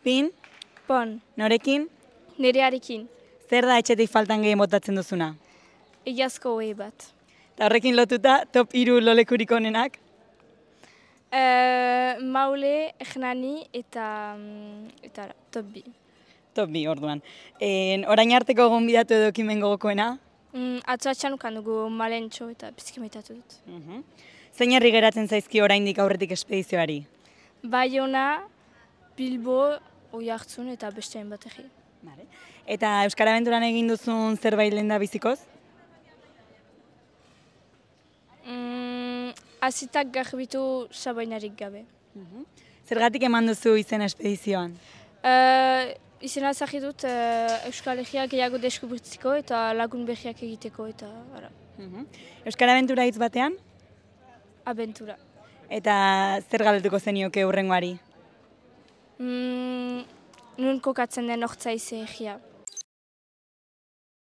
Pin, Pon, norekin, nerearekin, zer da etxetik faltan gehien botatzen duzuna? egiazko hoi bat. Eta horrekin lotuta, top 3 lolekurik onenak? Maule, Ernani eta top bi. Top 2 orduan. Orain arteko gonbidatu edo ekimen gogokoena? Atzo atxan ukan dugu malentxo eta bizkimetatu dut. Zein herri geratzen zaizki oraindik aurretik espedizioari? Baiona, Bilbo, Oiartzun eta beste hainbat egi. Eta Euskara Abenturan egin duzun zerbait lehen bizikoz? Azitak garbitu sabainarik gabe. Zergatik eman duzu izena espedizioan? Izena zahit dut Euskal Herria gehiago deskubritziko eta lagun behiak egiteko eta ara. Euskara Abentura hitz batean? Abentura. Eta zer galdetuko zenioke hurrengoari? Nun kokatzen den ortza ize egia.